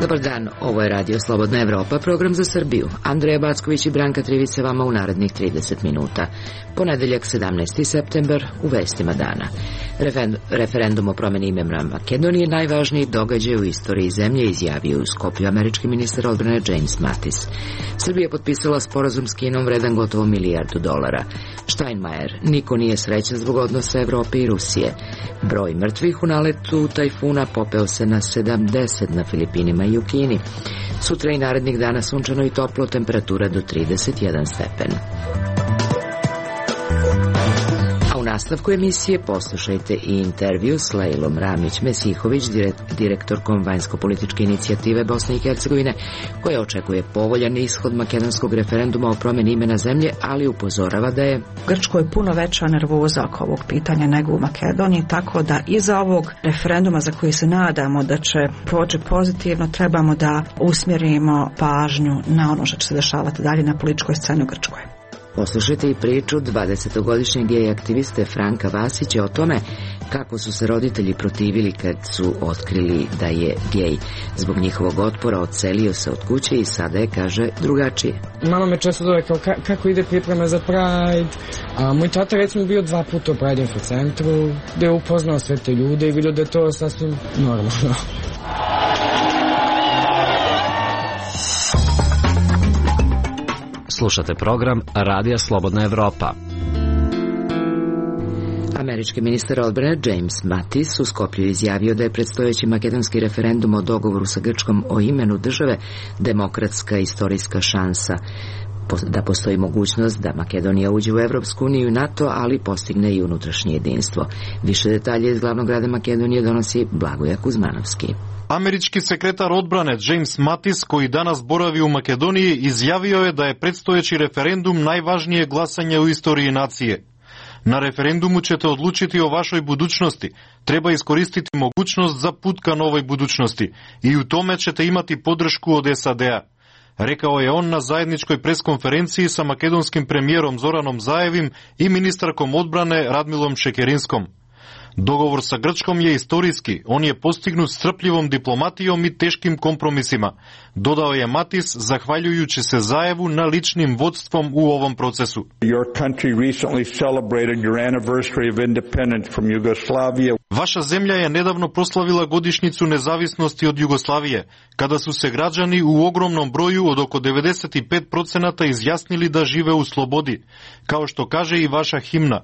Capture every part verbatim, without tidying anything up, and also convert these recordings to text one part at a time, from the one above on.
Dobar dan, ovo je Radio Slobodna Evropa, program za Srbiju. Andreja Backović i Branka Trivice vama u narednih trideset minuta. Ponedeljak sedamnaesti septembar, u vestima dana. Referendum o promeni imena Makedonije najvažniji događaj u istoriji zemlje, izjavio u Skoplju američki ministar odbrane James Mattis. Srbija je potpisala sporazum s Kinom vredan gotovo milijardu dolara. Steinmeier, niko nije srećan zbog odnosa Evrope i Rusije. Broj mrtvih u naletu tajfuna popeo se na sedamdeset na Filipinima i u Kini. Sutra i narednih dana sunčano i toplo, temperatura do trideset jedan stepen. U nastavku emisije poslušajte i intervju s Lejlom Ramić-Mesihović, direktorkom vanjsko-političke inicijative Bosne i Hercegovine, koja očekuje povoljan ishod makedonskog referenduma o promeni imena zemlje, ali upozorava da je u Grčkoj puno veća nervoza oko ovog pitanja nego u Makedoniji, tako da iza ovog referenduma za koji se nadamo da će proći pozitivno, trebamo da usmjerimo pažnju na ono što će se dešavati dalje na političkoj sceni u Grčkoj. Poslušajte i priču dvadesetogodišnjeg gej aktiviste Franka Vasića o tome kako su se roditelji protivili kad su otkrili da je gej. Zbog njihovog otpora odselio se od kuće i sada je, kaže, drugačije. Mama me često zove kao ka, kako ide priprema za Pride. A moj tata recimo bio dva puta u Pride Info centru, gde je upoznao sve te ljude i vidio da je to sasvim normalno. Slušate program Radija Slobodna Evropa. Američki ministar odbrane James Mattis u Skoplju izjavio da je predstojeći makedonski referendum o dogovoru sa Grčkom o imenu države demokratska istorijska šansa, da postoji mogućnost da Makedonija uđe u Evropsku uniju i NATO, ali postigne i unutrašnje jedinstvo. Više detalje iz glavnog grada Makedonije donosi Blagoja Kuzmanovski. Američki sekretar odbrane James Mattis, koji danas boravi u Makedoniji, izjavio je da je predstojeći referendum najvažnije glasanje u istoriji nacije. Na referendumu ćete odlučiti o vašoj budućnosti. Treba iskoristiti mogućnost za put ka novoj budućnosti i u tome ćete imati podršku od S A D-a. Rekao je on na zajedničkoj preskonferenciji sa makedonskim premijerom Zoranom Zaevim i ministarkom odbrane Radmilom Šekerinskom. Dogovor sa Grčkom je istorijski, on je postignut strpljivom diplomatijom i teškim kompromisima, dodao je Mattis, zahvaljujući se Zaevu na ličnim vodstvom u ovom procesu. Vaša zemlja je nedavno proslavila godišnjicu nezavisnosti od Jugoslavije, kada su se građani u ogromnom broju od oko devedeset pet posto izjasnili da žive u slobodi, kao što kaže i vaša himna.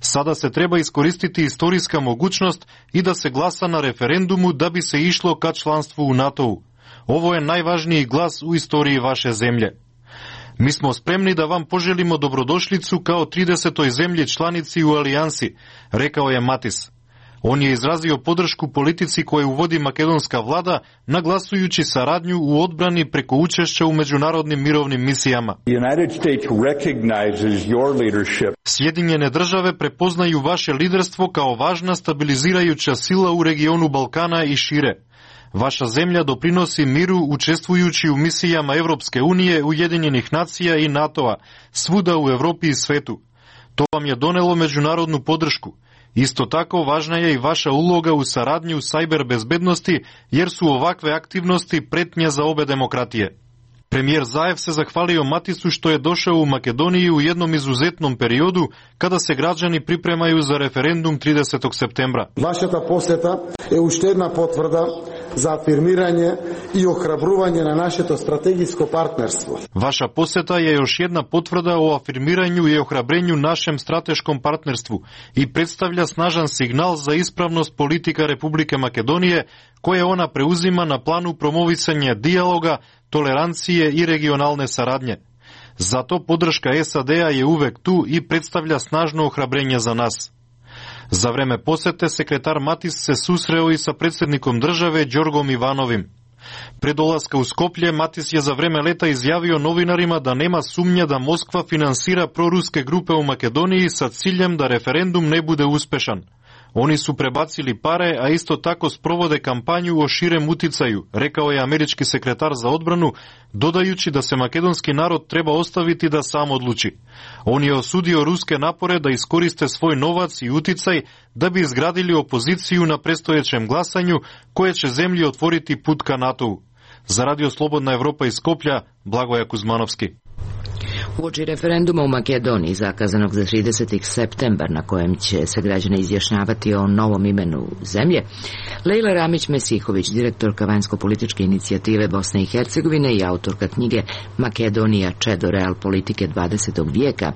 Sada se treba iskoristiti istorijska mogućnost i da se glasa na referendumu da bi se išlo ka članstvu u NATO-u. Ovo je najvažniji glas u istoriji vaše zemlje. Mi smo spremni da vam poželimo dobrodošlicu kao tridesetoj zemlji članici u alijansi, rekao je Mattis. On je izrazio podršku politici koju vodi makedonska vlada, naglasujući saradnju u odbrani preko učešća u međunarodnim mirovnim misijama. Sjedinjene države prepoznaju vaše liderstvo kao važna stabilizirajuća sila u regionu Balkana i šire. Vaša zemlja doprinosi miru učestvujući u misijama Evropske unije, Ujedinjenih nacija i NATO-a, svuda u Evropi i svetu. To vam je donelo međunarodnu podršku. Isto tako važna je i vaša uloga u saradnji u sajber bezbednosti, jer su ovakve aktivnosti pretnja za obe demokratije. Premijer Zaev se zahvalio Matisu što je došao u Makedoniju u jednom izuzetnom periodu kada se građani pripremaju za referendum tridesetog septembra. Vašата посета е уште една потврда za afirmiranje i ohrabruvanje na našето strategijsko partnerstvo. Vaša poseta je još jedna potvrda o afirmiranju i ohrabrenju našem strateškom partnerstvu i predstavlja snažan signal za ispravnost politika Republike Makedonije koje ona preuzima na planu promovisanja dijaloga, tolerancije i regionalne saradnje. Zato podrška S A D-a je uvek tu i predstavlja snažno ohrabrenje za nas. Za vreme posete sekretar Mattis se susreo i sa predsjednikom države Đorgom Ivanovim. Pre dolaska u Skoplje, Mattis je za vreme leta izjavio novinarima da nema sumnja da Moskva finansira proruske grupe u Makedoniji sa ciljem da referendum ne bude uspešan. Oni su prebacili pare, a isto tako sprovode kampanju o širem uticaju, rekao je američki sekretar za odbranu, dodajući da se makedonski narod treba ostaviti da sam odluči. On je osudio ruske napore da iskoriste svoj novac i uticaj da bi izgradili opoziciju na predstojećem glasanju koje će zemlji otvoriti put ka NATO-u. Za Radio Slobodna Evropa iz Skoplja, Blagoja Kuzmanovski. Uoči referenduma u Makedoniji zakazanog za trideseti septembar na kojem će se građani izjašnjavati o novom imenu zemlje, Lejla Ramić-Mesihović, direktorka vanjsko-političke inicijative Bosne i Hercegovine i autorka knjige Makedonija čedo real politike dvadesetog vijeka,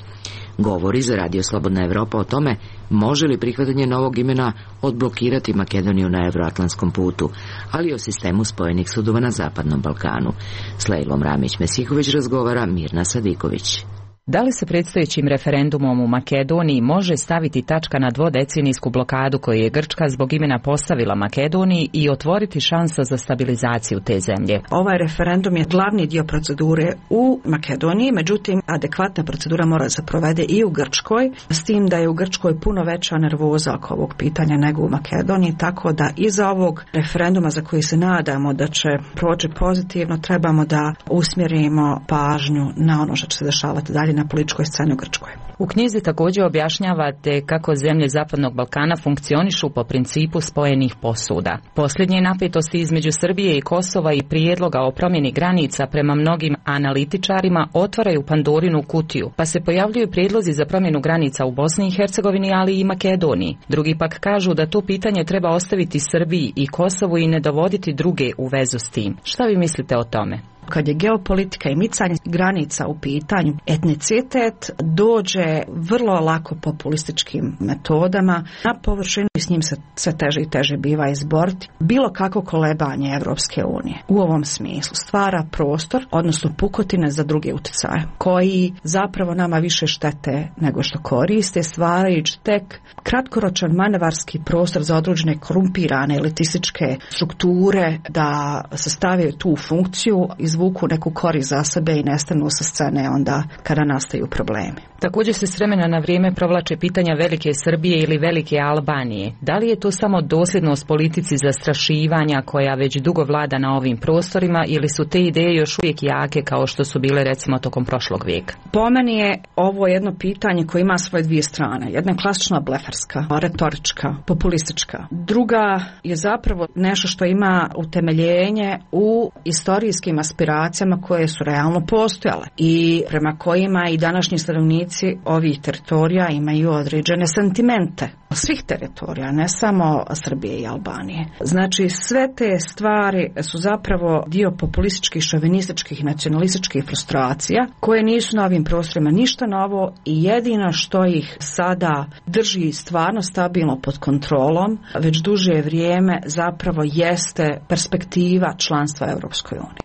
govori za Radio Slobodna Evropa o tome može li prihvatanje novog imena odblokirati Makedoniju na evroatlantskom putu, ali i o sistemu spojenih sudova na Zapadnom Balkanu. S Lejlom Ramić-Mesihović razgovara Mirna Sadiković. Da li se predstojećim referendumom u Makedoniji može staviti tačka na dvodecenijsku blokadu koju je Grčka zbog imena postavila Makedoniji i otvoriti šansa za stabilizaciju te zemlje? Ovaj referendum je glavni dio procedure u Makedoniji, međutim adekvatna procedura mora se provede i u Grčkoj, s tim da je u Grčkoj puno veća nervoza oko ovog pitanja nego u Makedoniji, tako da iza ovog referenduma za koji se nadamo da će proći pozitivno, trebamo da usmjerimo pažnju na ono što će se dešavati dalje na političkoj sceni u Grčkoj. U knjizi također objašnjavate kako zemlje Zapadnog Balkana funkcionišu po principu spojenih posuda. Posljednje napetosti između Srbije i Kosova i prijedloga o promjeni granica prema mnogim analitičarima otvaraju Pandorinu kutiju, pa se pojavljuju prijedlozi za promjenu granica u Bosni i Hercegovini, ali i Makedoniji. Drugi pak kažu da to pitanje treba ostaviti Srbiji i Kosovu i ne dovoditi druge u vezu s tim. Šta vi mislite o tome? Kad je geopolitika i micanje granica u pitanju, etnicitet dođe vrlo lako populističkim metodama na površinu i s njim se sve teže i teže biva izboriti. Bilo kako kolebanje Evropske unije u ovom smislu stvara prostor, odnosno pukotine za druge utjecaje, koji zapravo nama više štete nego što koriste, stvarajući tek kratkoročan manevarski prostor za određene korumpirane elitističke strukture da se stave tu u funkciju, izvuku neku korist za sebe i nestanu sa scene onda kada nastaju problemi. Također se s vremena na vrijeme provlače pitanja Velike Srbije ili Velike Albanije. Da li je to samo dosljednost politici zastrašivanja koja već dugo vlada na ovim prostorima ili su te ideje još uvijek jake kao što su bile recimo tokom prošlog vijeka? Po meni je ovo jedno pitanje koje ima svoje dvije strane. Jedna je klasična blefarska, retorička, populistička. Druga je zapravo nešto što ima utemeljenje u istorijskim aspiracijama koje su realno postojale i prema kojima i današnji stanovnici ovih teritorija imaju određene sentimente. Svih teritorija, ne samo Srbije i Albanije. Znači sve te stvari su zapravo dio populističkih, šovinističkih i nacionalističkih frustracija koje nisu na ovim prostorima ništa novo i jedino što ih sada drži stvarno stabilno pod kontrolom već duže vrijeme zapravo jeste perspektiva članstva Europskoj uniji.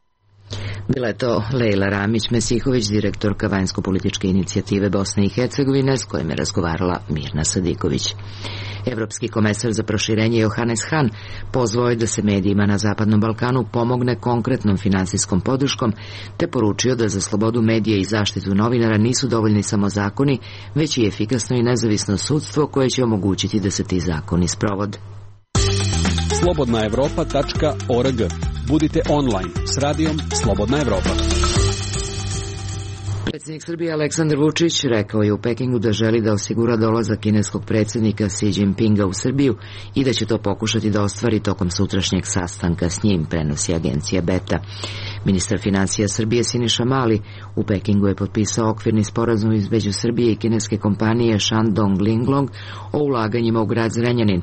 Bila je to Lejla Ramić-Mesihović, direktorka vanjsko-političke inicijative Bosne i Hercegovine, s kojim je razgovarala Mirna Sadiković. Evropski komesar za proširenje Johannes Hahn pozvao je da se medijima na Zapadnom Balkanu pomogne konkretnom finansijskom podrškom, te poručio da za slobodu medija i zaštitu novinara nisu dovoljni samo zakoni, već i efikasno i nezavisno sudstvo koje će omogućiti da se ti zakoni sprovode. slobodna evropa tačka org. Budite online s radijom Slobodna Evropa. Predsjednik Srbije Aleksandar Vučić rekao je u Pekingu da želi da osigura dolazak kineskog predsjednika Xi Jinpinga u Srbiju i da će to pokušati da ostvari tokom sutrašnjeg sastanka s njim, prenosi agencija Beta. Ministar financija Srbije Siniša Mali u Pekingu je potpisao okvirni sporazum između Srbije i kineske kompanije Shandong Linglong o ulaganjima u grad Zrenjanin.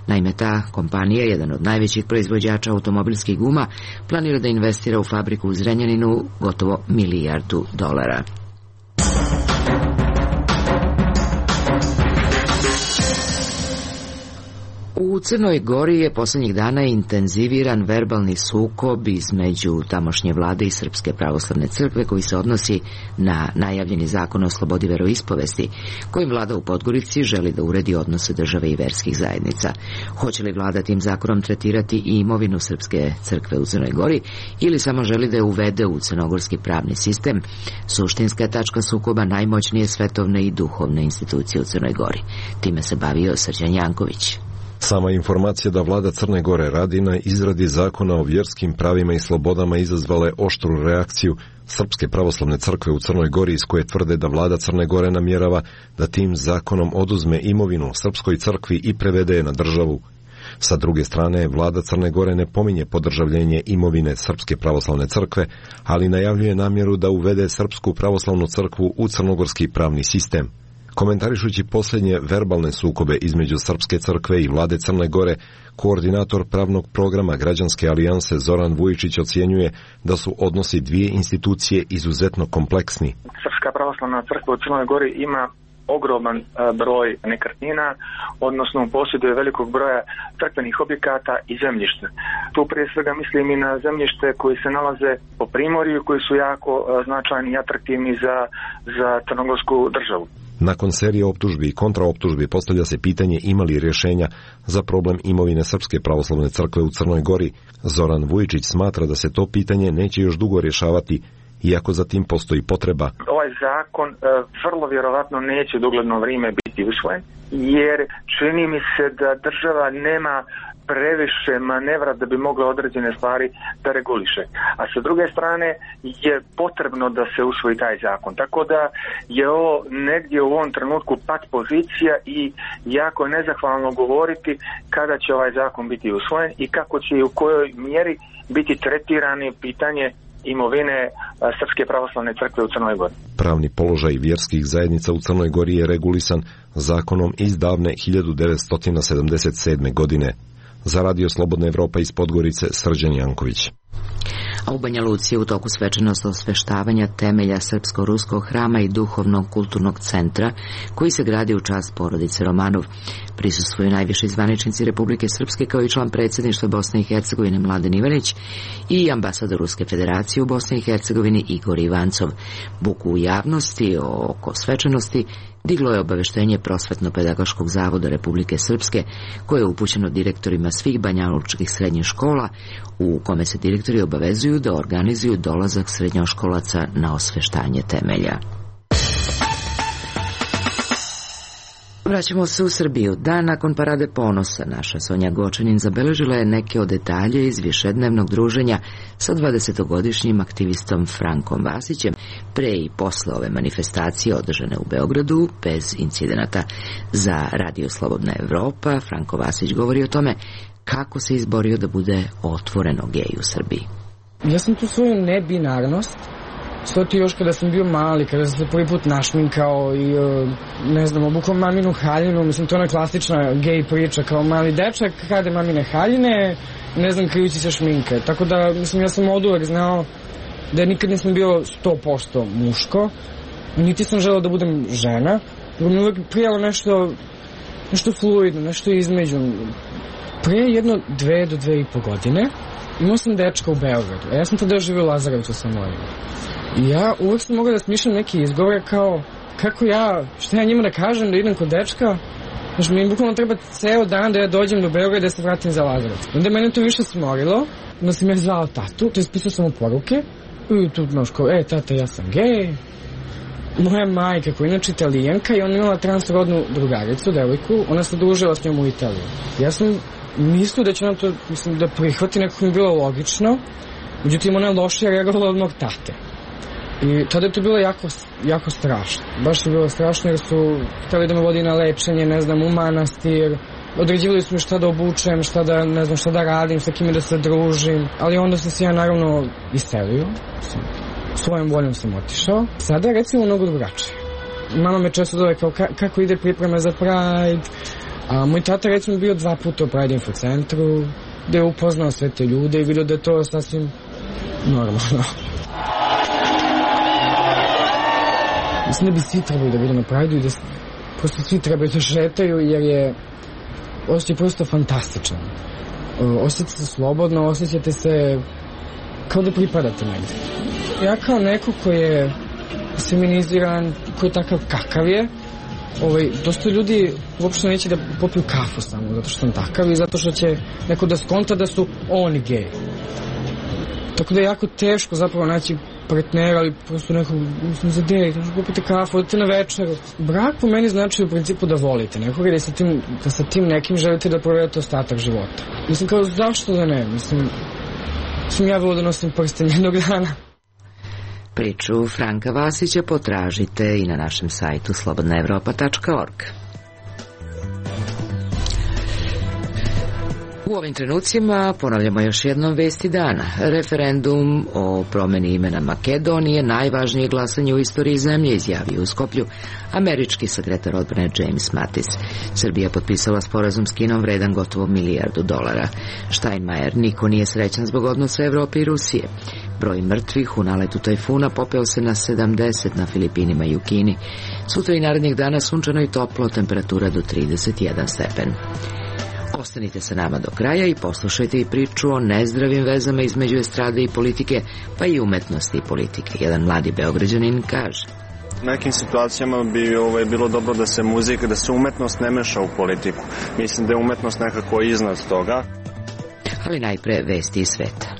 Naime, ta kompanija, jedan od najvećih proizvođača automobilskih guma, planira da investira u fabriku u Zrenjaninu gotovo milijardu dolara. U Crnoj Gori je posljednjih dana intenziviran verbalni sukob između tamošnje vlade i Srpske pravoslavne crkve koji se odnosi na najavljeni zakon o slobodi veroispovesti, kojim vlada u Podgorici želi da uredi odnose države i verskih zajednica. Hoće li vlada tim zakonom tretirati i imovinu Srpske crkve u Crnoj Gori ili samo želi da je uvede u crnogorski pravni sistem? Suštinska tačka sukoba najmoćnije svetovne i duhovne institucije u Crnoj Gori. Time se bavio Srđan Janković. Sama informacija da vlada Crne Gore radi na izradi zakona o vjerskim pravima i slobodama izazvale oštru reakciju Srpske pravoslavne crkve u Crnoj Gori, iz koje tvrde da vlada Crne Gore namjerava da tim zakonom oduzme imovinu Srpskoj crkvi i prevede je na državu. Sa druge strane, vlada Crne Gore ne pominje podržavljenje imovine Srpske pravoslavne crkve, ali najavljuje namjeru da uvede Srpsku pravoslavnu crkvu u crnogorski pravni sistem. Komentarišući posljednje verbalne sukobe između Srpske crkve i vlade Crne Gore, koordinator pravnog programa Građanske alijanse Zoran Vujičić ocjenjuje da su odnosi dvije institucije izuzetno kompleksni. Srpska pravoslavna crkva u Crnoj Gori ima ogroman broj nekretnina, odnosno posjeduje velikog broja crkvenih objekata i zemljišta. Tu prije svega mislim i na zemljište koji se nalaze po primorju, koji su jako značajni i atraktivni za, za crnogorsku državu. Nakon serije optužbi i kontraoptužbi postavlja se pitanje ima li rješenja za problem imovine Srpske pravoslavne crkve u Crnoj Gori. Zoran Vujičić smatra da se to pitanje neće još dugo rješavati, iako za tim postoji potreba. Ovaj zakon e, vrlo vjerovatno neće dogledno vrijeme biti usvojen, jer čini mi se da država nema previše manevra da bi mogla određene stvari da reguliše. A sa druge strane je potrebno da se usvoji taj zakon. Tako da je ovo negdje u ovom trenutku pat pozicija i jako je nezahvalno govoriti kada će ovaj zakon biti usvojen i kako će i u kojoj mjeri biti tretirani pitanje imovine Srpske pravoslavne crkve u Crnoj Gori. Pravni položaj vjerskih zajednica u Crnoj Gori je regulisan zakonom iz davne hiljadu devetsto sedamdeset sedme. godine. Za Radio Slobodna Evropa iz Podgorice, Srđan Janković. A u Banja Luci je u toku svečanost osveštavanja temelja Srpsko-ruskog hrama i duhovnog kulturnog centra koji se gradi u čast porodice Romanov. Prisustvuju najviši zvaničnici Republike Srpske kao i član predsjedništva Bosne i Hercegovine Mladen Ivanić i ambasador Ruske federacije u Bosni i Hercegovini Igor Ivancov. Buku u javnosti oko svečanosti diglo je obaveštenje Prosvetno-pedagoškog zavoda Republike Srpske koje je upućeno direktorima svih banjalučkih srednjih škola u kome se direktori obavezuju da organizuju dolazak srednjoškolaca na osveštanje temelja. Vraćamo se u Srbiju. Dan nakon Parade ponosa naša Sonja Gočanin zabeležila je neke od detalje iz višednevnog druženja sa dvadesetogodišnjim aktivistom Frankom Vasićem pre i posle ove manifestacije održane u Beogradu bez incidenata. Za Radio Slobodna Evropa Franko Vasić govori o tome kako se izborio da bude otvoreno gej u Srbiji. Ja sam tu svoju nebinarnost shvatio još kada sam bio mali, kada sam se prvi put našminkao i, ne znam, obukao maminu haljinu, mislim, to je ona klasična gej priča, kao mali dečak, krade mamine haljine, ne znam, krijući se šminke. Tako da, mislim, ja sam od uvek znao da nikad nisam bio sto posto muško, niti sam želeo da budem žena, nego mi uvek prijelo nešto, nešto fluidno, nešto između. Prije jedno dve do dve i po godine imao sam dečka u Beogradu, a ja sam tada živio u Lazarevcu sa mojim. I ja uvek sam mogao da smišljam neki izgovore kao kako ja, šta ja njima da kažem da idem kod dečka, znači mi bukvalno treba ceo dan da ja dođem do Beograda da se vratim za Lazarevac. Onda mene to više smorilo, onda sam ja zvao tatu, to ispisao sam mu poruke i tu znaš kao, e tata ja sam gej. Moja majka koja je inače Italijanka i ona imala transrodnu drugaricu, devojku, ona se družila s njom u Italiji. Ja sam mislio da će ona to, mislim, da prihvati, nekako mi je bilo logično, međutim ona je lošije reagovala od mog tate. I tada je to bilo jako, jako strašno. Baš je bilo strašno jer su htjeli da me vodi na lečenje, ne znam, u manastir. Određivali su mi šta da obučem, šta da, ne znam, šta da radim, sa kime da se družim. Ali onda sam se ja naravno iselio. Svojom voljom sam otišao. Sada je recimo mnogo drugačije. Mama me često zove kao ka, kako ide priprema za Pride. A moj tata recimo bio dva puta u Pride infocentru, gde je upoznao sve te ljude i vidio da je to sasvim normalno. Mislim da bi svi trebali da budu na Pride-u i da prosto svi trebaju da šetaju jer je osjećaj prosto fantastičan. Osjećate se slobodno, osjećate se kao da pripadate negdje. Ja kao neko koji je feminiziran, koji je takav kakav je, ovaj, dosta ljudi uopšte neće da popiju kafu samo zato što sam takav i zato što će neko da skonta da su oni gej. Tako da je jako teško zapravo naći partnera, ali prosto nekog, mislim, za dejt, možete popiti kafu, odete na večeru. Brak po meni znači u principu da volite nekoga i da sa tim, da sa tim nekim želite da provedete ostatak života. Mislim, kao zašto da ne? Mislim, mislim ja volio da nosim prsten jednog dana. Priču Franka Vasića potražite i na našem sajtu slobodna evropa tačka org. U ovim trenucima ponavljamo još jednom vesti dana. Referendum o promeni imena Makedonije najvažnije glasanje u istoriji zemlje, izjavio u Skoplju američki sekretar odbrane James Mattis. Srbija potpisala sporazum s Kinom vredan gotovo milijardu dolara. Steinmeier: niko nije srećan zbog odnosa Evrope i Rusije. Broj mrtvih u naletu tajfuna popeo se na sedamdeset na Filipinima i u Kini. Sutra i narednih dana sunčano i toplo, temperatura do trideset jedan stepen. Ostanite sa nama do kraja i poslušajte i priču o nezdravim vezama između estrade i politike, pa i umetnosti i politike. Jedan mladi Beograđanin kaže: u nekim situacijama bi ovaj, bilo dobro da se muzika, da se umetnost ne meša u politiku. Mislim da je umetnost nekako iznad toga. Ali najpre vesti iz sveta.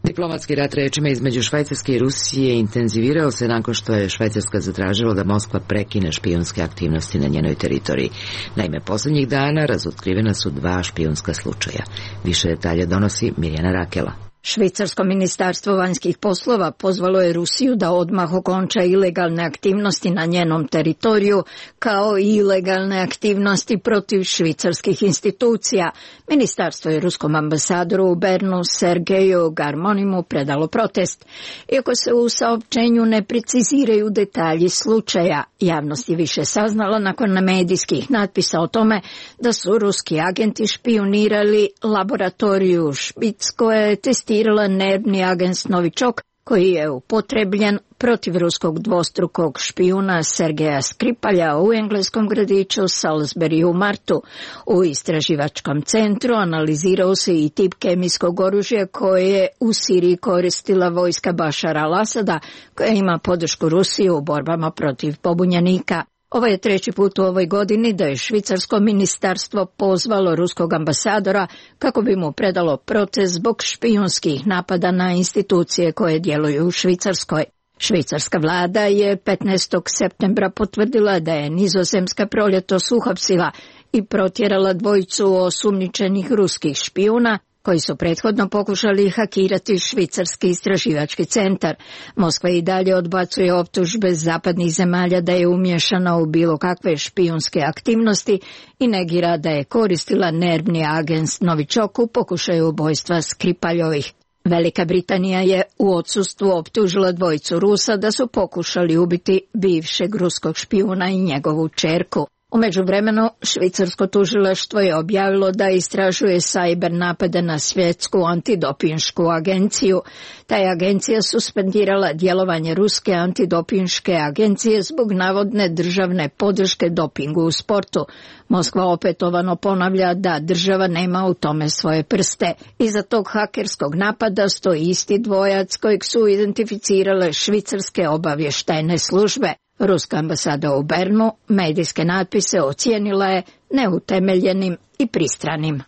Diplomatski rat rečima između Švajcarske i Rusije intenzivirao se nakon što je Švajcarska zatražila da Moskva prekine špijunske aktivnosti na njenoj teritoriji. Naime, poslednjih dana razotkrivena su dva špijunska slučaja. Više detalja donosi Mirjana Rakela. Švicarsko ministarstvo vanjskih poslova pozvalo je Rusiju da odmah okonča ilegalne aktivnosti na njenom teritoriju, kao i ilegalne aktivnosti protiv švicarskih institucija. Ministarstvo je ruskom ambasadoru u Bernu Sergeju Garmonimu predalo protest. Iako se u saopćenju ne preciziraju detalji slučaja, javnost je više saznala nakon medijskih natpisa o tome da su ruski agenti špijunirali laboratoriju Špic koja je testirala nervni agens Novičok, koji je upotrebljen protiv ruskog dvostrukog špijuna Sergeja Skripalja u engleskom gradiću Salisbury u martu. U istraživačkom centru analizirao se i tip kemijskog oružja koje je u Siriji koristila vojska Bašara al-Asada, koja ima podršku Rusije u borbama protiv pobunjenika. Ovo je treći put u ovoj godini da je švicarsko ministarstvo pozvalo ruskog ambasadora kako bi mu predalo protest zbog špijunskih napada na institucije koje djeluju u Švicarskoj. Švicarska vlada je petnaestog septembra potvrdila da je Nizozemska proljetos uhapsila i protjerala dvojicu osumnjičenih ruskih špijuna koji su prethodno pokušali hakirati švicarski istraživački centar. Moskva i dalje odbacuje optužbe zapadnih zemalja da je umješana u bilo kakve špijunske aktivnosti i negira da je koristila nervni agens Novičok u pokušaju ubojstva Skripaljovih. Velika Britanija je u odsustvu optužila dvojicu Rusa da su pokušali ubiti bivšeg ruskog špijuna i njegovu ćerku. U međuvremenu, švicarsko tužilaštvo je objavilo da istražuje sajber napade na svjetsku antidopinšku agenciju. Ta je agencija suspendirala djelovanje ruske antidopinške agencije zbog navodne državne podrške dopingu u sportu. Moskva opetovano ponavlja da država nema u tome svoje prste. Iza tog hakerskog napada stoji isti dvojac kojeg su identificirale švicarske obavještajne službe. Ruska ambasada u Bernu medijske natpise ocijenila je neutemeljenim i pristranim.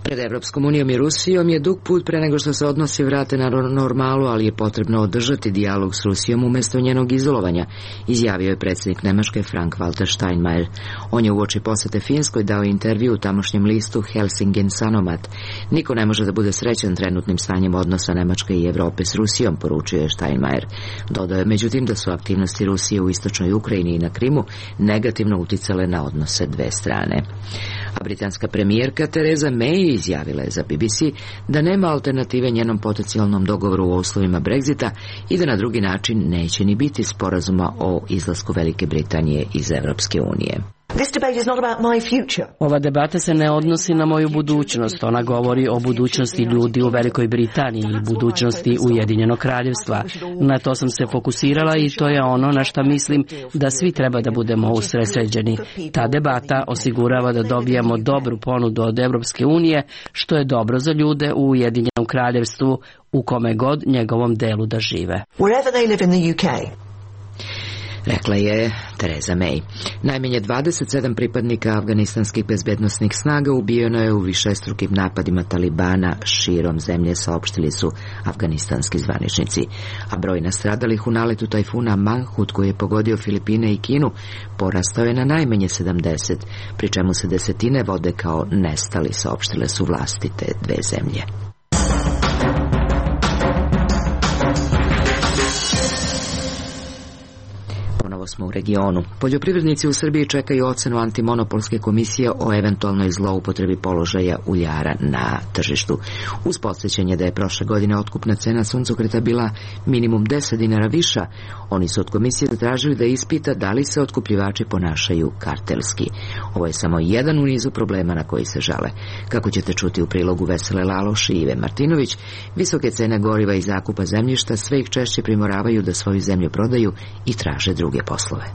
Pred Evropskom unijom i Rusijom je dug put pre nego što se odnosi vrate na normalu, ali je potrebno održati dijalog s Rusijom umjesto njenog izolovanja, izjavio je predsjednik Nemačke Frank-Walter Steinmeier. On je uoči posete Finskoj dao intervju u tamošnjem listu Helsingin Sanomat. Niko ne može da bude srećan trenutnim stanjem odnosa Nemačke i Evrope s Rusijom, poručio je Steinmeier. Dodao je međutim da su aktivnosti Rusije u istočnoj Ukrajini i na Krimu negativno uticale na odnose dve strane. A britanska premijerka Theresa May izjavila je za B B C da nema alternative njenom potencijalnom dogovoru u uslovima Brexita i da na drugi način neće ni biti sporazuma o izlasku Velike Britanije iz Evropske unije. Ova debata se ne odnosi na moju budućnost, ona govori o budućnosti ljudi u Velikoj Britaniji i budućnosti Ujedinjenog kraljevstva. Na to sam se fokusirala i to je ono na šta mislim da svi treba da budemo usredsređeni. Ta debata osigurava da dobijamo dobru ponudu od Evropske unije, što je dobro za ljude u Ujedinjenom kraljevstvu, u kome god njegovom delu da žive. Rekla je Theresa May. Najmanje dvadeset sedam pripadnika afganistanskih bezbednosnih snaga ubijeno je u višestrukim napadima Talibana širom zemlje, saopštili su afganistanski zvaničnici. A broj nastradalih u naletu tajfuna Manhut, koji je pogodio Filipine i Kinu, porastao je na najmanje sedamdeset, pri čemu se desetine vode kao nestali, saopštile su vlasti te dve zemlje. smo u regionu. Poljoprivrednici u Srbiji čekaju ocenu antimonopolske komisije o eventualnoj zloupotrebi položaja uljara na tržištu. Uz podsjećanje da je prošle godine otkupna cena suncokreta bila minimum deset dinara viša, oni su od komisije zatražili da ispita da li se otkupljivači ponašaju kartelski. Ovo je samo jedan u nizu problema na koji se žale. Kako ćete čuti u prilogu Vesele Laloš i Ive Martinović, visoke cene goriva i zakupa zemljišta sve ih češće primoravaju da svoju zemlju prodaju i traže druge poslove.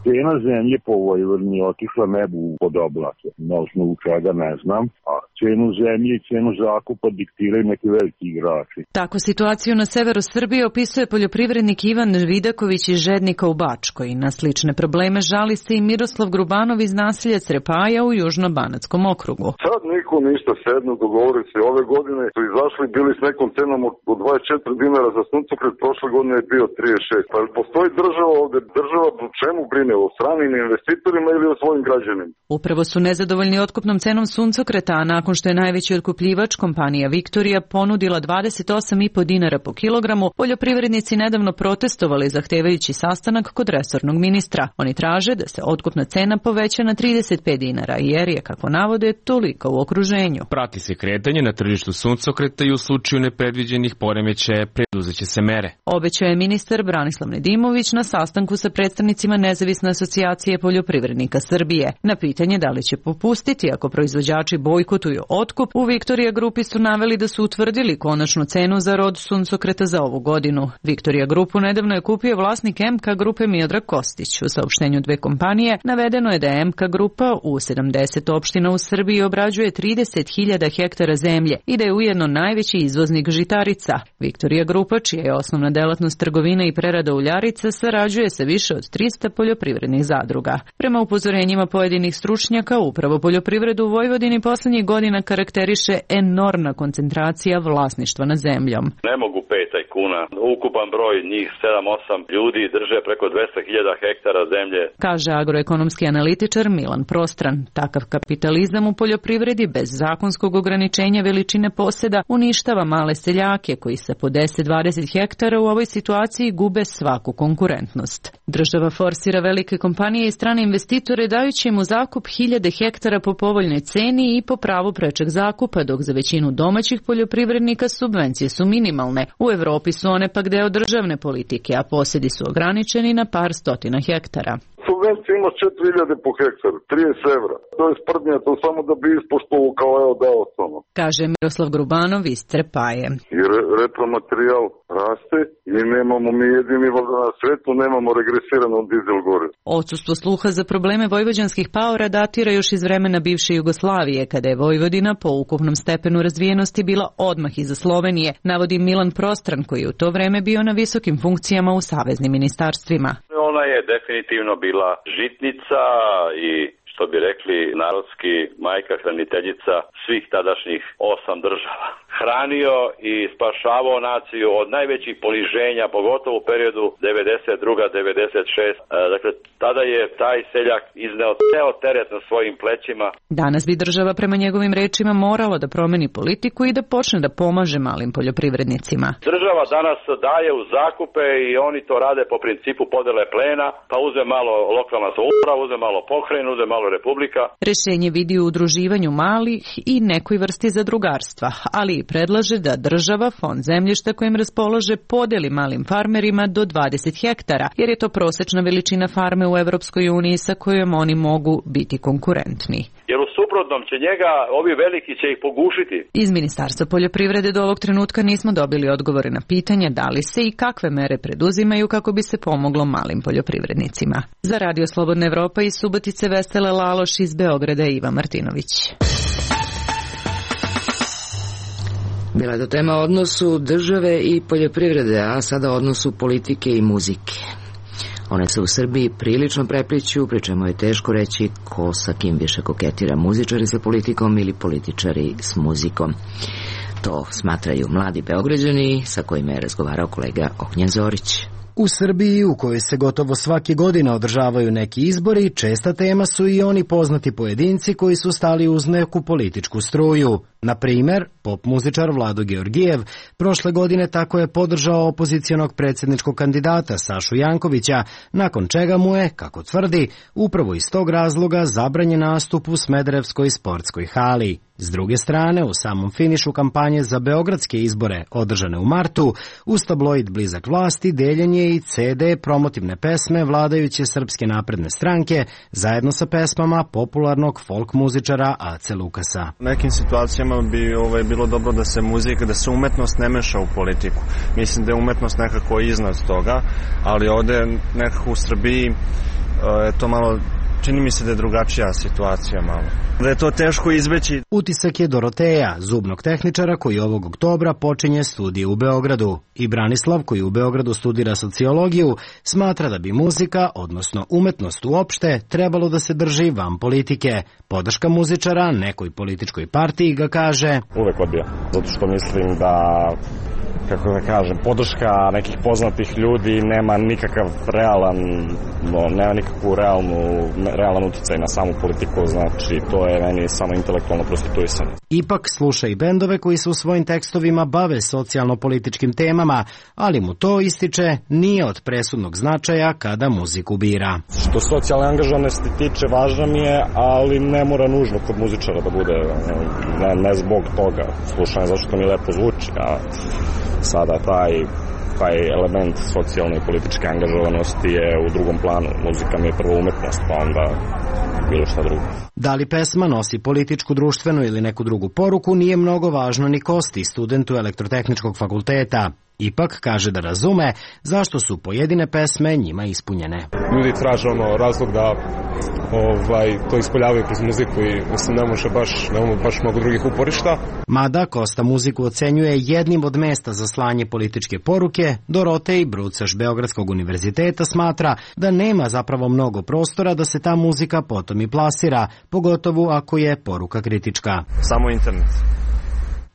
Cena zemlje po Vojvodini otišla nebu pod oblake, na osnovu čega ne znam, a cenu zemlje i cenu zakupa diktiraju neki veliki igrači. Tako situaciju na severu Srbije opisuje poljoprivrednik Ivan Vidaković iz Žednika u Bačkoj. Na slične probleme žali se i Miroslav Grubanov iz naselja Crepaja u Južno-Banatskom okrugu. Sad niko ništa sednu, dogovori se. Ove godine su izašli, bili s nekom cenom od dvadeset četiri dinara za suncokret, prošle godine je bio trideset šest. Pa postoji država ovde, država čemu brine? O stranim investitorima ili o svojim građanima. Upravo su nezadovoljni otkupnom cenom suncokreta, a nakon što je najveći otkupljivač kompanija Viktorija ponudila dvadeset osam i po dinara po kilogramu, poljoprivrednici nedavno protestovali zahtevajući sastanak kod resornog ministra. Oni traže da se otkupna cena poveća na trideset pet dinara, jer je, kako navode, toliko u okruženju. Prati se kretanje na tržištu suncokreta i u slučaju nepredviđenih poremećaja preduzeće se mere. Obećao je ministar Branislav Nedimović na sastanku sa predstavnicima Nezavisne asocijacije poljoprivrednika Srbije. Na pitanje da li će popustiti ako proizvođači bojkotuju otkup, u Viktorija Grupi su naveli da su utvrdili konačnu cenu za rod suncokreta za ovu godinu. Viktorija Grupu nedavno je kupio vlasnik M K Grupe Miodrag Kostić. U saopštenju dve kompanije navedeno je da M K Grupa u sedamdeset opština u Srbiji obrađuje trideset hiljada hektara zemlje i da je ujedno najveći izvoznik žitarica. Viktorija Grupa, čija je osnovna delatnost trgovina i prerada uljarica, sarađuje sa više od trista poljoprivrednih zadruga. Prema upozorenjima pojedinih stručnjaka, upravo poljoprivredu u Vojvodini poslednjih godina karakteriše enormna koncentracija vlasništva nad zemljom. Ne mogu pet tajkuna. Ukupan broj njih sedam osam ljudi drže preko dvesta hiljada hektara zemlje. Kaže agroekonomski analitičar Milan Prostran. Takav kapitalizam u poljoprivredi bez zakonskog ograničenja veličine poseda uništava male seljake koji sa po deset do dvadeset hektara u ovoj situaciji gube svaku konkurentnost. Država forsira velike kompanije i strane investitore dajući im u zakup hiljade hektara po povoljnoj ceni i po pravu prečeg zakupa, dok za većinu domaćih poljoprivrednika subvencije su minimalne. U Evropi su one pak deo državne politike, a posedi su ograničeni na par stotina hektara. Subvencija ima četiri hiljade po hektar, trideset evra. To je sprdnja, to samo da bi ispoštovo kao evo dao samo. Kaže Miroslav Grubanov iz Trepaje. I re, repromaterijal raste i nemamo mi jedini na svetu, nemamo regresirano dizel gore. Odsustvo sluha za probleme vojvođanskih paora datira još iz vremena bivše Jugoslavije, kada je Vojvodina po ukupnom stepenu razvijenosti bila odmah iza Slovenije, navodi Milan Prostran, koji je u to vreme bio na visokim funkcijama u saveznim ministarstvima. Ona je definitivno bila žitnica i, što bi rekli narodski, majka hraniteljica svih tadašnjih osam država. Hranio i spašavao naciju od najvećih poniženja, pogotovo u periodu devedeset druga do devedeset šesta. Dakle, tada je taj seljak izneo ceo teret na svojim plećima. Danas bi država prema njegovim rečima morala da promeni politiku i da počne da pomaže malim poljoprivrednicima. Država danas daje u zakupe i oni to rade po principu podele plena, pa uze malo lokalna samouprava, uze malo pokrajina, uze malo republika. Rešenje vidi u udruživanju malih i nekoj vrsti zadrugarstva, ali predlaže da država fond zemljišta kojim raspolaže podeli malim farmerima do dvadeset hektara, jer je to prosečna veličina farme u Evropskoj uniji sa kojom oni mogu biti konkurentni. Jer u suprotnom će njega, ovi veliki će ih pogušiti. Iz Ministarstva poljoprivrede do ovog trenutka nismo dobili odgovore na pitanje da li se i kakve mere preduzimaju kako bi se pomoglo malim poljoprivrednicima. Za Radio Slobodna Evropa iz Subotice Vesele Laloš, iz Beograda Iva Martinović. Bila je to tema o odnosu države i poljoprivrede, a sada o odnosu politike i muzike. One se u Srbiji prilično prepliću, pri čemu je teško reći ko sa kim više koketira, muzičari sa politikom ili političari s muzikom. To smatraju mladi Beograđani sa kojima je razgovarao kolega Ognjen Zorić. U Srbiji, u kojoj se gotovo svake godine održavaju neki izbori, česta tema su i oni poznati pojedinci koji su stali uz neku političku struju. Na primer, pop muzičar Vlado Georgijev prošle godine tako je podržao opozicionog predsjedničkog kandidata Sašu Jankovića, nakon čega mu je, kako tvrdi, upravo iz tog razloga zabranjen nastup u Smederevskoj sportskoj hali. S druge strane, u samom finišu kampanje za beogradske izbore, održane u martu, uz tabloid blizak vlasti deljen je i ce de promotivne pesme vladajuće Srpske napredne stranke, zajedno sa pesmama popularnog folk muzičara Ace Lukasa. U nekim situacijama bi ovaj, bilo dobro da se muzika, da se umetnost ne meša u politiku. Mislim da je umetnost nekako iznad toga, ali ovde nekako u Srbiji je to malo, čini mi se da je drugačija situacija malo. Da je to teško izbeći. Utisak je Doroteja, zubnog tehničara koji ovog oktobra počinje studije u Beogradu. I Branislav, koji u Beogradu studira sociologiju, smatra da bi muzika, odnosno umetnost uopšte, trebalo da se drži van politike. Podrška muzičara nekoj političkoj partiji ga kaže: uvek odbija, zato što mislim da, kako da kažem, podrška nekih poznatih ljudi nema nikakav realan, no, nema nikakvu realnu, realan uticaj na samu politiku, znači to je meni samo intelektualno prostituisanje. Ipak sluša i bendove koji se u svojim tekstovima bave socijalno-političkim temama, ali mu to, ističe, nije od presudnog značaja kada muziku bira. Što socijalne angažovanosti tiče, važna mi je, ali ne mora nužno kod muzičara da bude, ne, ne zbog toga. Slušanje zašto mi lepo zvuči, a sada taj, taj element socijalne i političke angažovanosti je u drugom planu. Muzika mi je prvo umetnost, pa onda bilo šta drugo. Da li pesma nosi političku, društvenu ili neku drugu poruku nije mnogo važno ni Kosti, studentu Elektrotehničkog fakulteta. Ipak kaže da razume zašto su pojedine pesme njima ispunjene. Ljudi traže ono razlog da ovaj, to ispoljavaju kroz muziku i mislim ne može baš, nemamo baš mnogo drugih uporišta. Mada Kosta muziku ocenjuje jednim od mesta za slanje političke poruke, Dorotej Brucaš Beogradskog univerziteta smatra da nema zapravo mnogo prostora da se ta muzika potom i plasira, pogotovo ako je poruka kritička. Samo internet.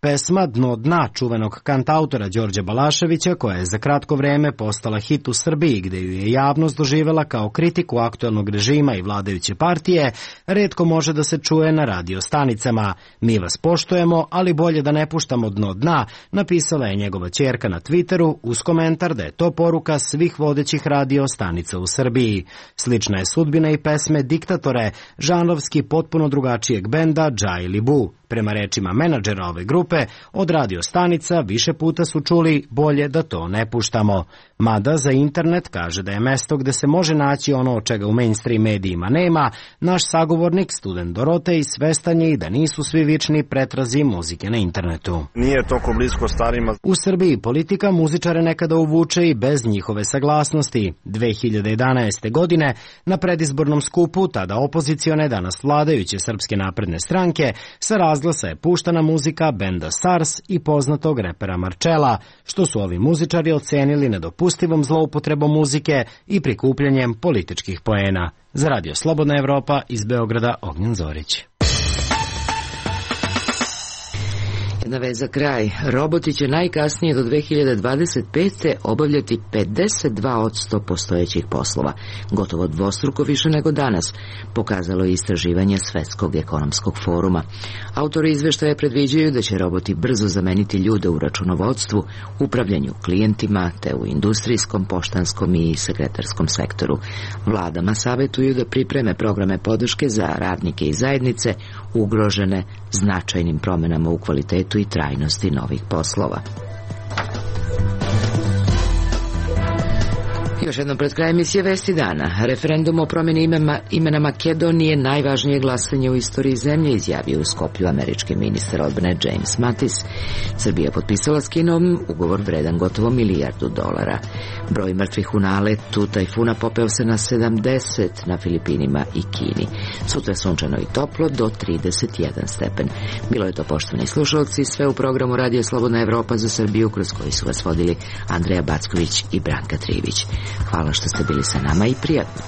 Pesma Dno dna čuvenog kantautora Đorđa Balaševića, koja je za kratko vreme postala hit u Srbiji, gde ju je javnost doživela kao kritiku aktuelnog režima i vladajuće partije, retko može da se čuje na radio stanicama. Mi vas poštujemo, ali bolje da ne puštamo dno dna, napisala je njegova ćerka na Twitteru uz komentar da je to poruka svih vodećih radio stanica u Srbiji. Slična je sudbina i pesme Diktatore, žanrovski potpuno drugačijeg benda Džaj Libu. Prema rečima menadžera ove grupe, od radio stanica više puta su čuli bolje da to ne puštamo. Mada za internet kaže da je mesto gde se može naći ono od čega u mainstream medijima nema, naš sagovornik, student Dorotej, svestan je i da nisu svi vični pretrazi muzike na internetu. Nije toliko blisko starima. U Srbiji politika muzičare nekada uvuče i bez njihove saglasnosti. dve hiljade jedanaeste. godine na predizbornom skupu, tada opozicione, danas vladajuće Srpske napredne stranke, sa razglasa je puštana muzika benda Sars i poznatog repera Marčela, što su ovi muzičari ocenili nedopustivom zloupotrebom muzike i prikupljanjem političkih poena. Za Radio Slobodna Evropa iz Beograda, Ognjen Zorić. Jedna vez za kraj. Roboti će najkasnije do dve hiljade dvadeset pete. obavljati pedeset dva posto postojećih poslova, gotovo dvostruko više nego danas, pokazalo je istraživanje Svetskog ekonomskog foruma. Autori izveštaja predviđaju da će roboti brzo zameniti ljude u računovodstvu, upravljanju klijentima, te u industrijskom, poštanskom i sekretarskom sektoru. Vladama savetuju da pripreme programe podrške za radnike i zajednice ugrožene značajnim promenama u kvalitetu i trajnosti novih poslova. Još jednom pred krajem emisije Vesti dana. Referendum o promjeni imena, imena Makedonije najvažnije glasanje u istoriji zemlje, izjavio u Skoplju američki ministar odbrane James Mattis. Srbija potpisala s Kinom ugovor vredan gotovo milijardu dolara. Broj mrtvih u naletu tajfuna popeo se na sedamdeset na Filipinima i Kini. Sutra sunčano i toplo do trideset jedan stepen. Bilo je to, poštovani slušalci, sve u programu Radio Slobodna Evropa za Srbiju, kroz koji su vas vodili Andreja Backović i Branka Trivić. Hvala što ste bili sa nama i prijatno.